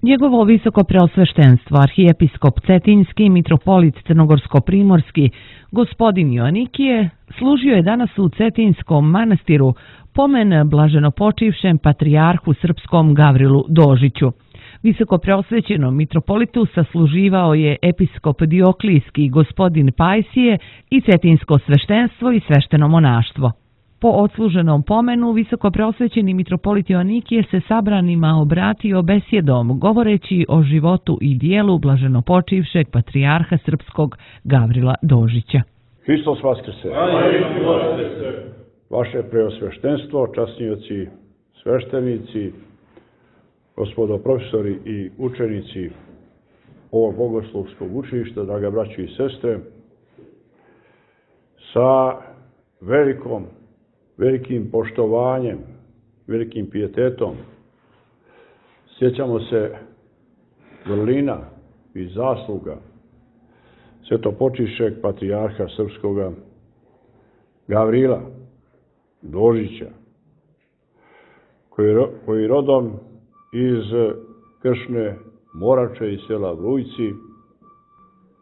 Njegovo visoko preosveštenstvo, arhijepiskop Cetinjski, mitropolit Crnogorsko-primorski, gospodin Joanikije, služio je danas u Cetinjskom manastiru pomen blaženopočivšem patrijarhu srpskom Gavrilu Dožiću. Visoko preosvećenom mitropolitu sasluživao je episkop Dioklijski gospodin Pajsije i cetinjsko sveštenstvo i svešteno monaštvo. Po odsluženom pomenu, visoko preosvećeni mitropolit Joanikije se sabranima obratio besjedom, govoreći o životu i dijelu blaženopočivšeg patrijarha srpskog Gavrila Dožića. Hristos vaskrse! Vaše preosveštenstvo, časnioci, sveštenici, gospodo profesori i učenici ovog bogoslovskog učilišta, draga braćo i sestre, sa velikim poštovanjem, velikim pijetetom sjećamo se vrlina i zasluga svetopočivšeg patrijarha srpskoga Gavrila Dožića, koji rodom iz Kršne Morače i sela Vrujci,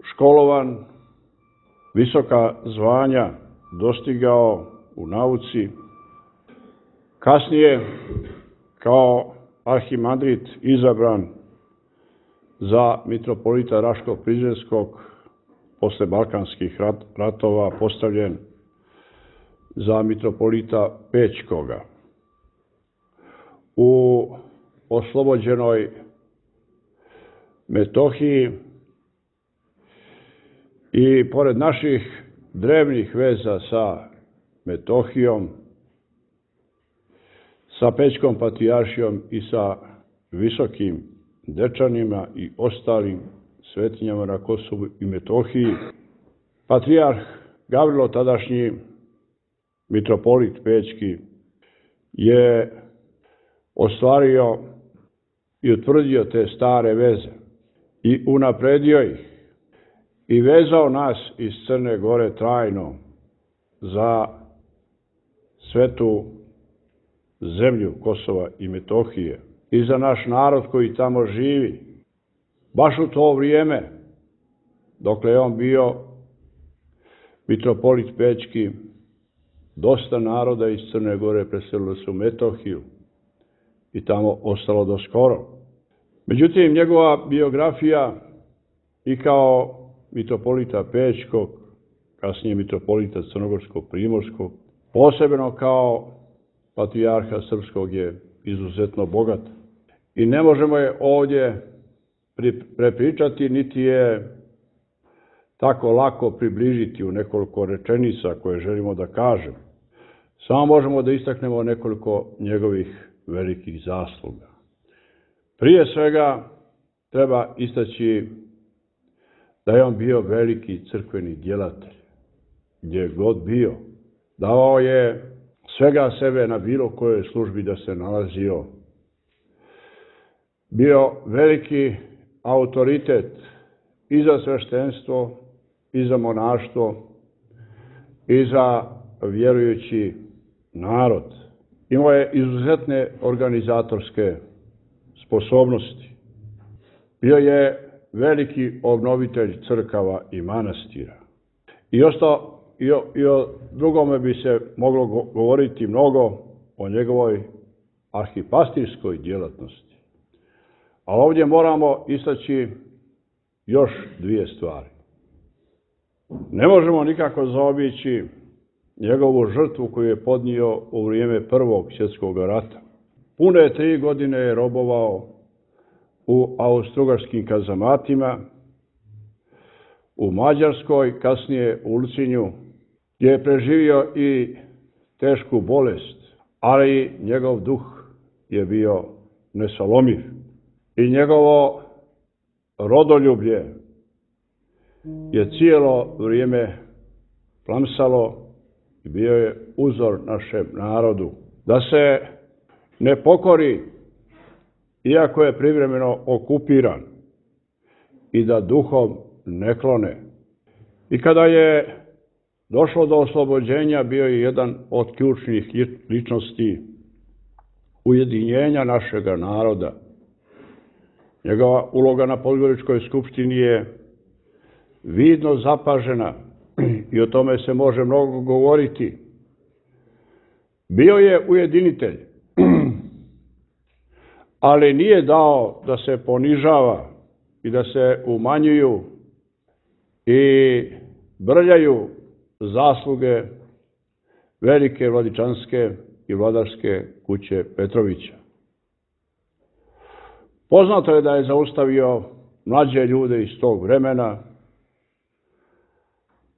školovan, visoka zvanja dostigao u nauci, kasnije kao arhimandrit izabran za mitropolita Raško-Prizrenskog, posle Balkanskih ratova postavljen za mitropolita Pećkoga. U oslobođenoj Metohiji i pored naših drevnih veza sa Metohijom, sa Pećkom patrijaršijom i sa visokim Dečanima i ostalim svetinjama na Kosovu i Metohiji, patrijarh Gavrilo, tadašnji mitropolit Pećki, je ostvario i utvrdio te stare veze i unapredio ih i vezao nas iz Crne Gore trajno za svetu zemlju Kosova i Metohije i za naš narod koji tamo živi. Baš u to vrijeme, dokle je on bio mitropolit Pećki, dosta naroda iz Crne Gore preselilo se u Metohiju i tamo ostalo do skoro. Međutim, njegova biografija i kao mitropolita Pećkog, kasnije mitropolita Crnogorsko-Primorskog, posebno kao patrijarha srpskog, je izuzetno bogata. I ne možemo je ovdje prepričati, niti je tako lako približiti u nekoliko rečenica koje želimo da kažemo. Samo možemo da istaknemo nekoliko njegovih velikih zasluga. Prije svega treba istaći da je on bio veliki crkveni djelatelj. Gdje god bio, davao je svega sebe na bilo kojoj službi da se nalazio. Bio veliki autoritet i za sveštenstvo, i za monaštvo, i za vjerujući narod. Imao je izuzetne organizatorske sposobnosti. Bio je veliki obnovitelj crkava i manastira. I o drugome bi se moglo govoriti mnogo, o njegovoj arhipastirskoj djelatnosti. A ovdje moramo istaći još dvije stvari. Ne možemo nikako zaobići njegovu žrtvu koju je podnio u vrijeme Prvog svjetskog rata. Pune 3 godine je robovao u austrougarskim kazamatima, u Mađarskoj, kasnije u Ulcinju, gdje je preživio i tešku bolest, ali njegov duh je bio nesalomiv. I njegovo rodoljublje je cijelo vrijeme plamsalo i bio je uzor našem narodu. Da se ne pokori, iako je privremeno okupiran, i da duhom ne klone. I kada je došlo do oslobođenja, bio je jedan od ključnih ličnosti ujedinjenja našega naroda Njegova uloga na Podgoričkoj skupštini je vidno zapažena i o tome se može mnogo govoriti. Bio je ujedinitelj, ali nije dao da se ponižava i da se umanjuju i brljaju zasluge velike vladičanske i vladarske kuće Petrovića. Poznato je da je zaustavio mlađe ljude iz tog vremena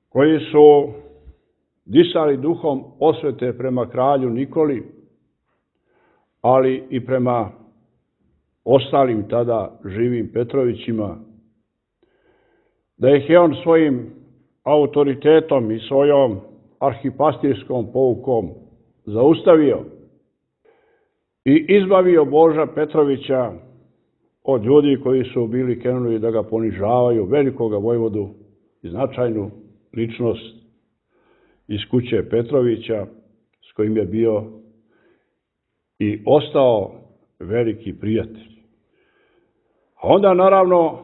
koji su disali duhom osvete prema kralju Nikoli, ali i prema ostalim tada živim Petrovićima, da ih je on svojim autoritetom i svojom arhipastirskom poukom zaustavio i izbavio Boža Petrovića od ljudi koji su bili krenuli da ga ponižavaju, velikoga vojvodu i značajnu ličnost iz kuće Petrovića, s kojim je bio i ostao veliki prijatelj. A onda, naravno,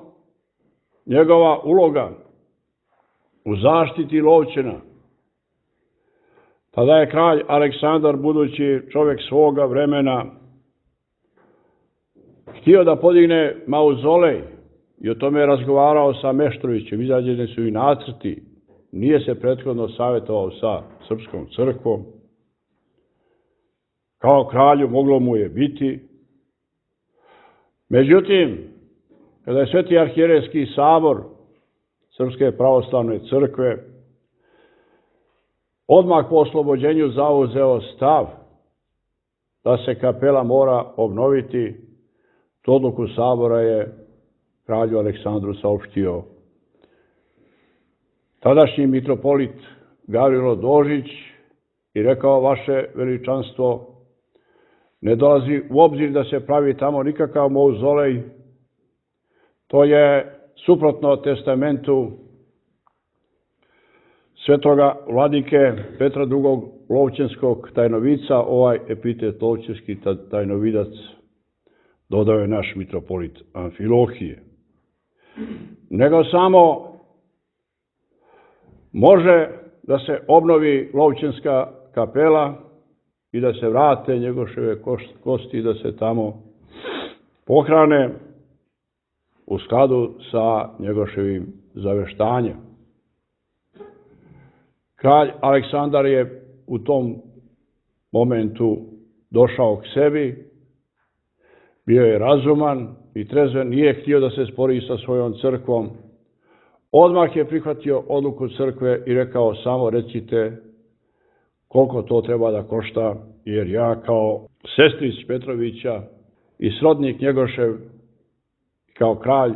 njegova uloga u zaštiti Lovćena. Tada je kralj Aleksandar, budući čovjek svoga vremena, htio da podigne mauzolej i o tome je razgovarao sa Meštrovićem. Izađeni su i nacrti. Nije se prethodno savjetovao sa Srpskom crkvom. Kao kralju moglo mu je biti. Međutim, kada je Sveti arhijerejski sabor Srpske pravoslavne crkve odmah po oslobođenju zauzeo stav da se kapela mora obnoviti, tu odluku sabora je kralju Aleksandru saopštio tadašnji mitropolit Gavrilo Dožić i rekao: vaše veličanstvo, ne dolazi u obzir da se pravi tamo nikakav mauzolej, to je suprotno testamentu svetoga vladike Petra II. Lovćenskog tajnovica. Ovaj epitet lovćenski tajnovidac dodao je naš mitropolit Amfilohije. Nego samo može da se obnovi Lovćenska kapela i da se vrate Njegoševe kosti i da se tamo pohrane u skladu sa Njegoševim zaveštanjem. Kralj Aleksandar je u tom momentu došao k sebi, bio je razuman i trezven, nije htio da se spori sa svojom crkvom. Odmah je prihvatio odluku crkve i rekao: samo recite koliko to treba da košta, jer ja kao sestrić Petrovića i srodnik Njegošev, kao kralj,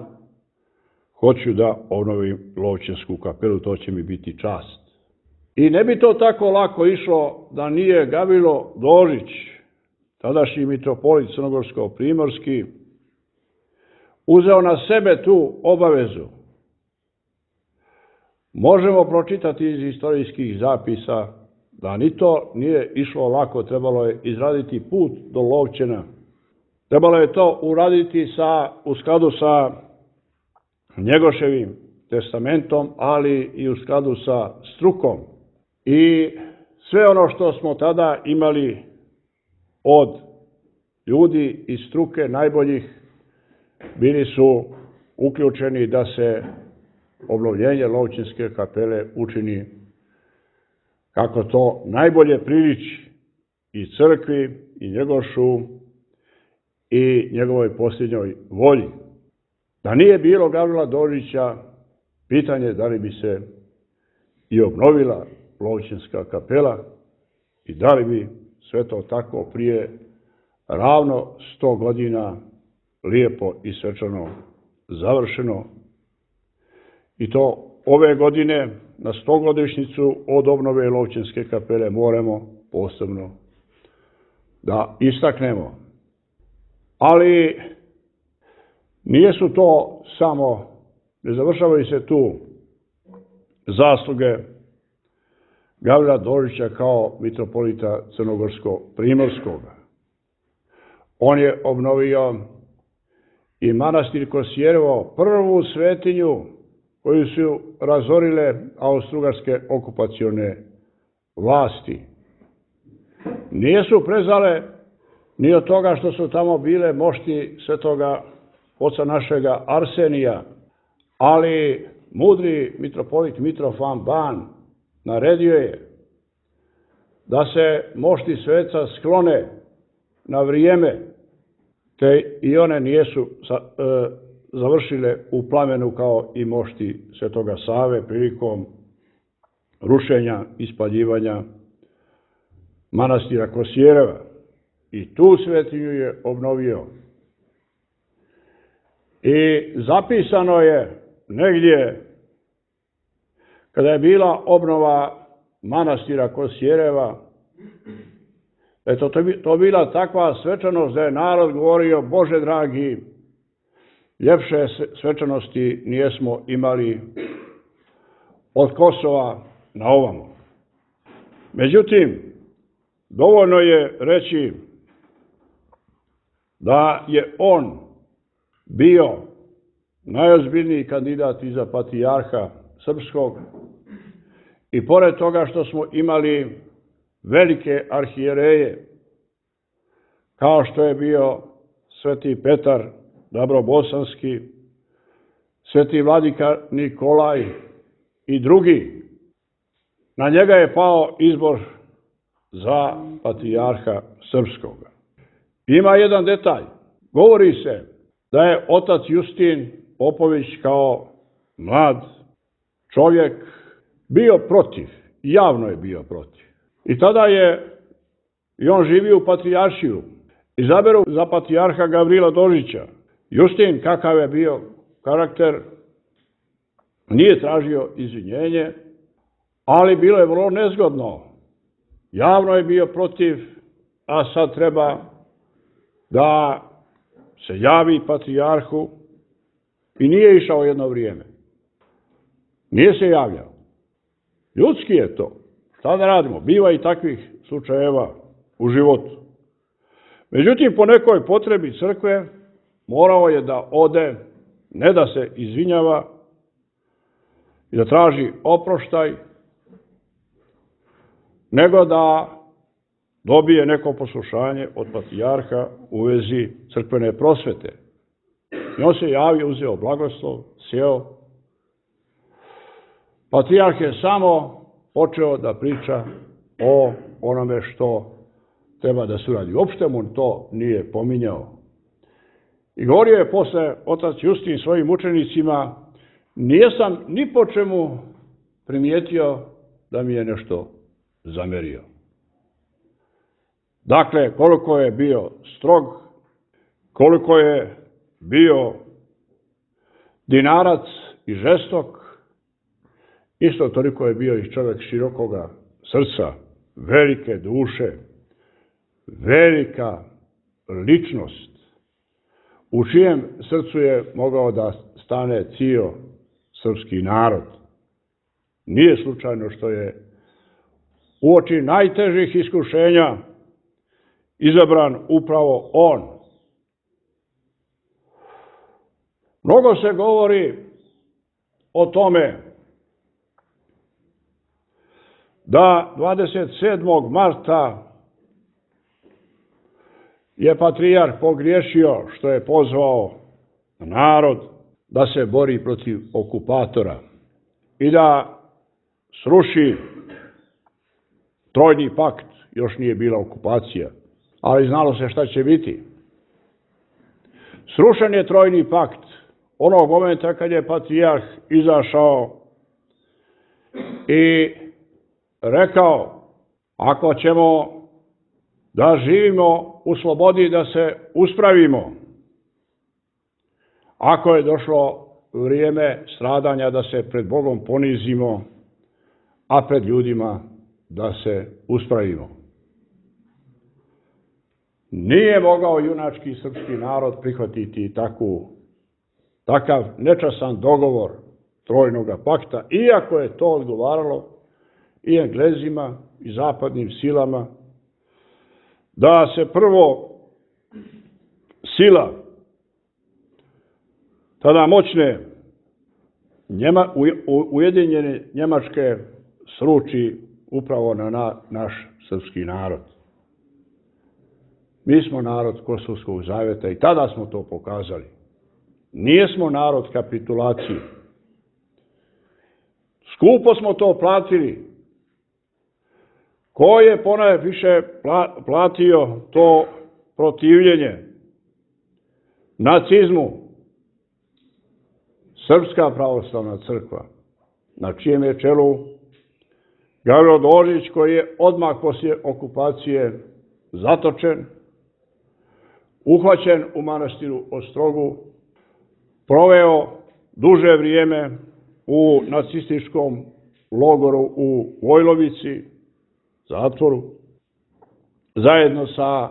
hoću da obnovim Lovćensku kapelu, to će mi biti čast. I ne bi to tako lako išlo da nije Gavrilo Dožić, tadašnji mitropolit crnogorsko-primorski, uzeo na sebe tu obavezu. Možemo pročitati iz istorijskih zapisa da ni to nije išlo lako, trebalo je izraditi put do Lovćena. Trebalo je to uraditi u skladu sa Njegoševim testamentom, ali i u skladu sa strukom. I sve ono što smo tada imali od ljudi iz struke najboljih bili su uključeni da se obnovljenje Lovćenske kapele učini kako to najbolje priliči i crkvi i Njegošu i njegovoj posljednjoj volji. Da nije bilo Gavrila Dožića, pitanje da li bi se i obnovila Lovćenska kapela i da li bi sve to tako prije ravno 100 godina lijepo i svečano završeno. I to ove godine na 100-godišnjicu od obnove Lovćenske kapele moramo posebno da istaknemo. Ali nije su to samo, ne završavaju se tu zasluge Gavrila Dožića kao mitropolita Crnogorsko-primorskoga. On je obnovio i manastir Kosjerevo, prvu svetinju koju su razorile austrougarske okupacione vlasti. Nisu prezale ni od toga što su tamo bile mošti svetoga oca našega Arsenija, ali mudri mitropolit Mitrofan Ban naredio je da se mošti sveca sklone na vrijeme, te i one nijesu završile u plamenu kao i mošti svetoga Save prilikom rušenja i spaljivanja manastira Kosjereva. I tu svetinju je obnovio. I zapisano je negdje, kada je bila obnova manastira Kosjereva, to bila takva svečanost da je narod govorio: Bože dragi, ljepše svečanosti nijesmo imali od Kosova na ovamo. Međutim, dovoljno je reći da je on bio najozbiljniji kandidat i za patrijarha srpskog i pored toga što smo imali velike arhijereje, kao što je bio sveti Petar Dabrobosanski, sveti vladika Nikolaj i drugi, na njega je pao izbor za patrijarha srpskoga. Ima jedan detalj. Govori se da je otac Justin Popović kao mlad čovjek bio protiv, javno je bio protiv. I tada je i on živio u patrijaršiju. Izaberu za patrijarha Gavrila Dožića. Justin, kakav je bio karakter, nije tražio izvinjenje, ali bilo je vrlo nezgodno. Javno je bio protiv, a sad treba da se javi patrijarhu i nije išao jedno vrijeme. Nije se javljao. Ljudski je to. Šta da radimo? Biva i takvih slučajeva u životu. Međutim, po nekoj potrebi crkve morao je da ode, ne da se izvinjava i da traži oproštaj, nego da dobije neko poslušanje od patrijarha u vezi crkvene prosvete. I on se javio, uzeo blagoslov, sjeo. Patrijarh je samo počeo da priča o onome što treba da se uradi. Uopšte mu to nije pominjao. I govorio je posle otac Justin svojim učenicima: nijesam ni po čemu primijetio da mi je nešto zamerio. Dakle, koliko je bio strog, koliko je bio dinarac i žestok, isto toliko je bio i čovjek širokoga srca, velike duše, velika ličnost, u čijem srcu je mogao da stane cijel srpski narod. Nije slučajno što je uoči najtežih iskušenja izabran upravo on. Mnogo se govori o tome da 27. marta je patrijarh pogriješio što je pozvao narod da se bori protiv okupatora i da sruši Trojni pakt. Još nije bila okupacija, ali znalo se šta će biti. Srušen je Trojni pakt onog momenta kad je patrijarh izašao i rekao: ako ćemo da živimo u slobodi, da se uspravimo, ako je došlo vrijeme stradanja, da se pred Bogom ponizimo, a pred ljudima da se uspravimo. Nije mogao junački srpski narod prihvatiti takav nečasan dogovor Trojnog pakta, iako je to odgovaralo i Englezima i zapadnim silama, da se prvo sila tada moćne Ujedinjene Njemačke sruči upravo na naš srpski narod. Mi smo narod Kosovskog zaveta i tada smo to pokazali. Nijesmo narod kapitulacije. Skupo smo to platili. Ko je ponajviše platio to protivljenje nacizmu? Srpska pravoslavna crkva, na čijem je čelu Gavrilo Dožić, koji je odmah poslije okupacije zatočen, uhvaćen u manastiru Ostrogu, proveo duže vrijeme u nacističkom logoru u Vojlovici, zatvoru, zajedno sa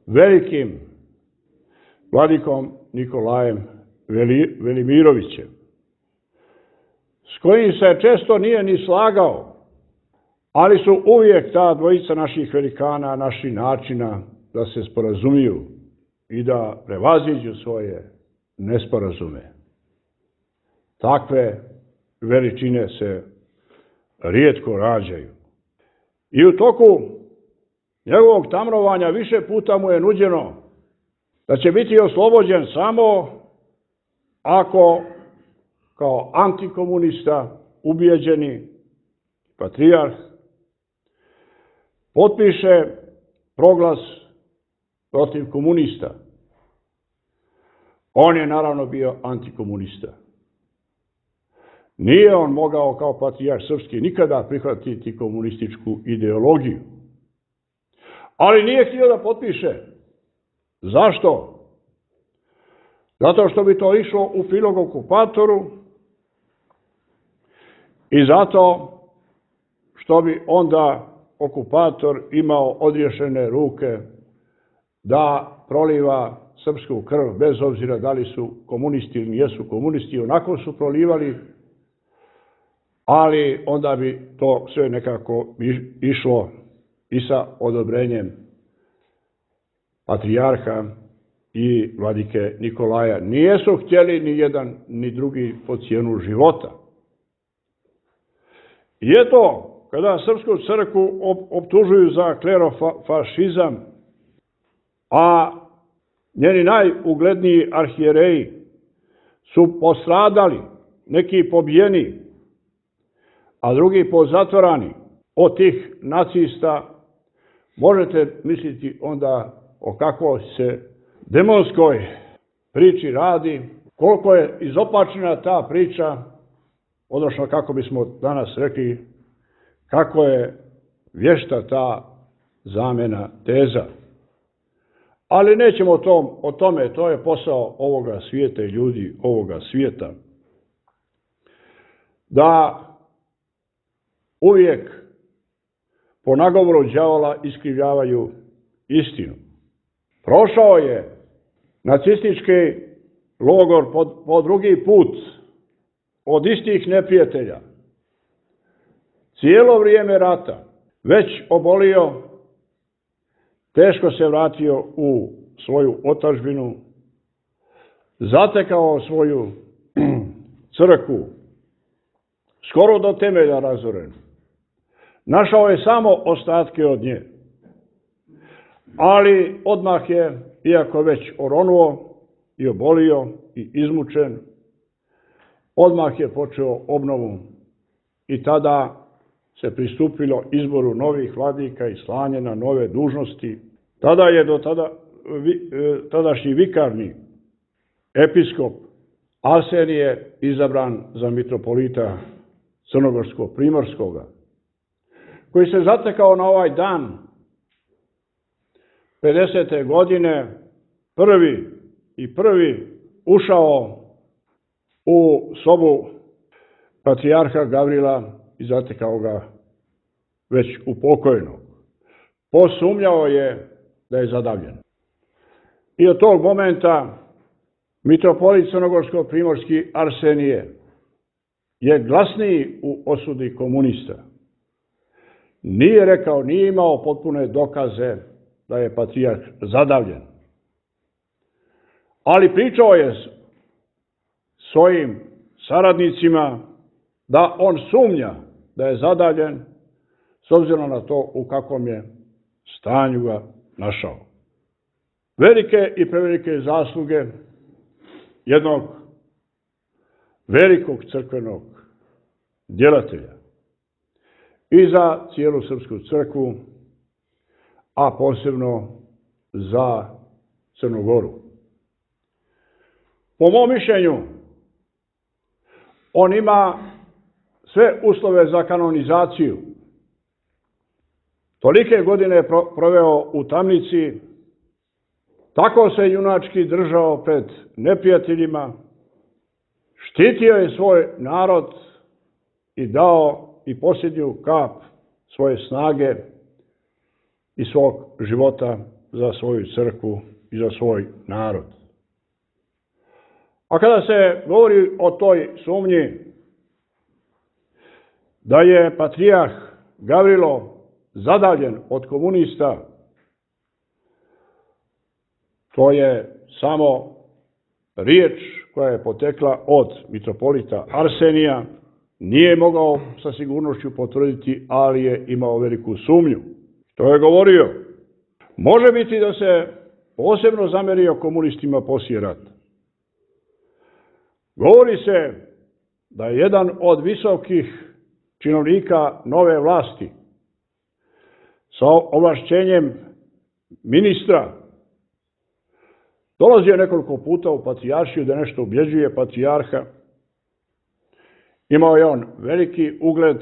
velikim vladikom Nikolajem Velimirovićem, s kojim se često nije ni slagao, ali su uvijek ta dvojica naših velikana, naših načina da se sporazumiju i da prevaziđu svoje nesporazume. Takve veličine se rijetko rađaju. I u toku njegovog tamnovanja više puta mu je nuđeno da će biti oslobođen samo ako kao antikomunista, ubijeđeni patrijarh, potpiše proglas protiv komunista. On je naravno bio antikomunista. Nije on mogao kao patrijarh srpski nikada prihvatiti komunističku ideologiju. Ali nije htio da potpiše. Zašto? Zato što bi to išlo u prilog okupatoru i zato što bi onda okupator imao odriješene ruke da proliva srpsku krv, bez obzira da li su komunisti ili nijesu komunisti, onako su prolivali, ali onda bi to sve nekako išlo i sa odobrenjem patrijarha i vladike Nikolaja. Nijesu htjeli ni jedan ni drugi po cijenu života. I eto, kada srpsku crkvu optužuju za klerofašizam, a njeni najugledniji arhijereji su postradali, neki pobijeni, a drugi pozatvorani od tih nacista, možete misliti onda o kakvoj se demonskoj priči radi, koliko je izopačena ta priča, odnosno kako bismo danas rekli, kako je vješta ta zamjena teza. Ali nećemo o tome, to je posao ovoga svijeta i ljudi ovoga svijeta. Da uvijek po nagovoru đavola iskrivljavaju istinu. Prošao je nacistički logor po drugi put od istih neprijatelja. Cijelo vrijeme rata, već obolio, teško se vratio u svoju otadžbinu, zatekao svoju crkvu, skoro do temelja razorenu. Našao je samo ostatke od nje. Ali odmah je, iako već oronuo i obolio i izmučen, odmah je počeo obnovu i tada se pristupilo izboru novih vladika i slanje na nove dužnosti. Tada je tadašnji vikarni episkop Arsenije izabran za mitropolita Crnogorsko-Primorskoga, koji se zatekao na ovaj dan 50. godine prvi ušao u sobu patrijarha Gavrila i zatekao ga već upokojnog. Posumnjao je da je zadavljen. I od tog momenta mitropolit Crnogorsko-Primorski Arsenije je glasniji u osudi komunista. Nije rekao, nije imao potpune dokaze da je patrijarh zadavljen. Ali pričao je svojim saradnicima da on sumnja da je zadaljen s obzirom na to u kakvom je stanju ga našao. Velike i prevelike zasluge jednog velikog crkvenog djelatelja i za cijelu srpsku crkvu, a posebno za Crnu Goru. Po mom mišljenju, on ima sve uslove za kanonizaciju. Tolike godine je proveo u tamnici, tako se junački držao pred neprijateljima, štitio je svoj narod i dao i posljednju kap svoje snage i svog života za svoju crkvu i za svoj narod. A kada se govori o toj sumnji da je patrijarh Gavrilo zadaljen od komunista, to je samo riječ koja je potekla od mitropolita Arsenija, nije mogao sa sigurnošću potvrditi, ali je imao veliku sumnju. To je govorio. Može biti da se posebno zamerio komunistima poslije rata. Govori se da je jedan od visokih činovnika nove vlasti sa ovlašćenjem ministra dolazio nekoliko puta u patrijaršiju da nešto ubjeđuje patrijarha. Imao je on veliki ugled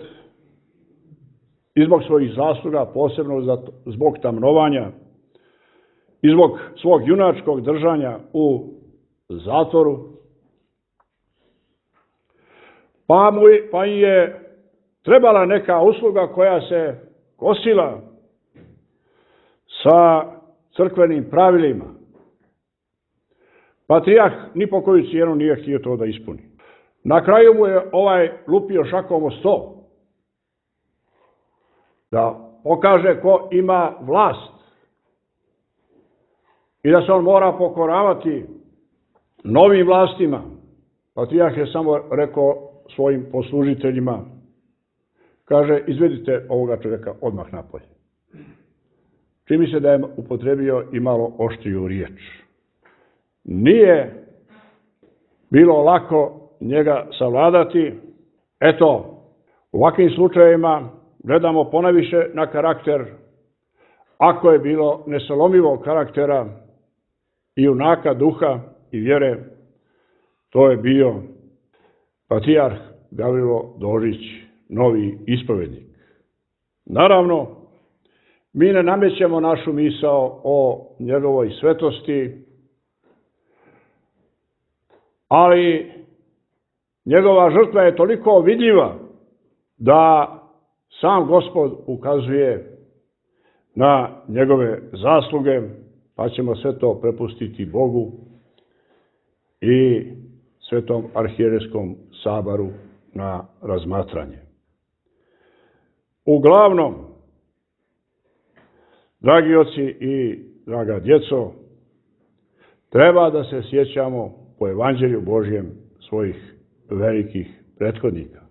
i zbog svojih zasluga, posebno zbog tamnovanja i zbog svog junačkog držanja u zatvoru. Pa je trebala neka usluga koja se kosila sa crkvenim pravilima. Patrijarh ni po koju cijenu nije htio to da ispuni. Na kraju mu je lupio šakom o sto da pokaže ko ima vlast i da se on mora pokoravati novim vlastima. Patrijarh je samo rekao svojim poslužiteljima, kaže, izvedite ovoga čovjeka odmah napolje. Čini se da je upotrebio i malo oštriju riječ. Nije bilo lako njega savladati. Eto, u ovakvim slučajevima gledamo ponajviše na karakter. Ako je bilo nesalomivog karaktera i junaka duha i vjere, to je bio patrijarh Gavrilo Dožić, novi ispovednik. Naravno, mi ne namećemo našu misao o njegovoj svetosti, ali njegova žrtva je toliko vidljiva da sam Gospod ukazuje na njegove zasluge, pa ćemo sve to prepustiti Bogu i Svetom arhijerejskom saboru na razmatranje. Uglavnom, dragi oci i draga djeco, treba da se sjećamo po Evanđelju Božjem svojih velikih prethodnika.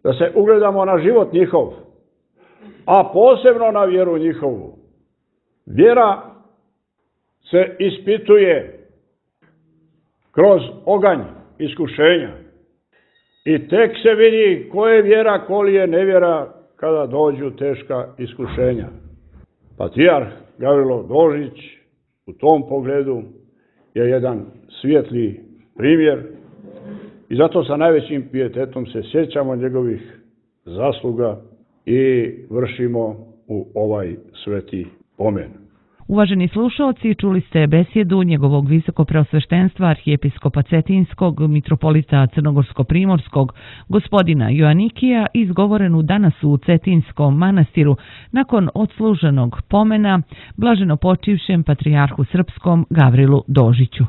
Da se ugledamo na život njihov, a posebno na vjeru njihovu. Vjera se ispituje kroz oganj iskušenja i tek se vidi ko je vjera, ko li je nevjera kada dođu teška iskušenja. Patrijarh Gavrilo Dožić u tom pogledu je jedan svijetli primjer i zato sa najvećim pijetetom se sjećamo njegovih zasluga i vršimo u ovaj sveti pomen. Uvaženi slušalci, čuli ste besjedu njegovog visokopreosveštenstva arhijepiskopa Cetinskog, mitropolita Crnogorsko-primorskog, gospodina Joanikija, izgovorenu danas u Cetinskom manastiru nakon odsluženog pomena blaženo počivšem patrijarhu srpskom Gavrilu Dožiću.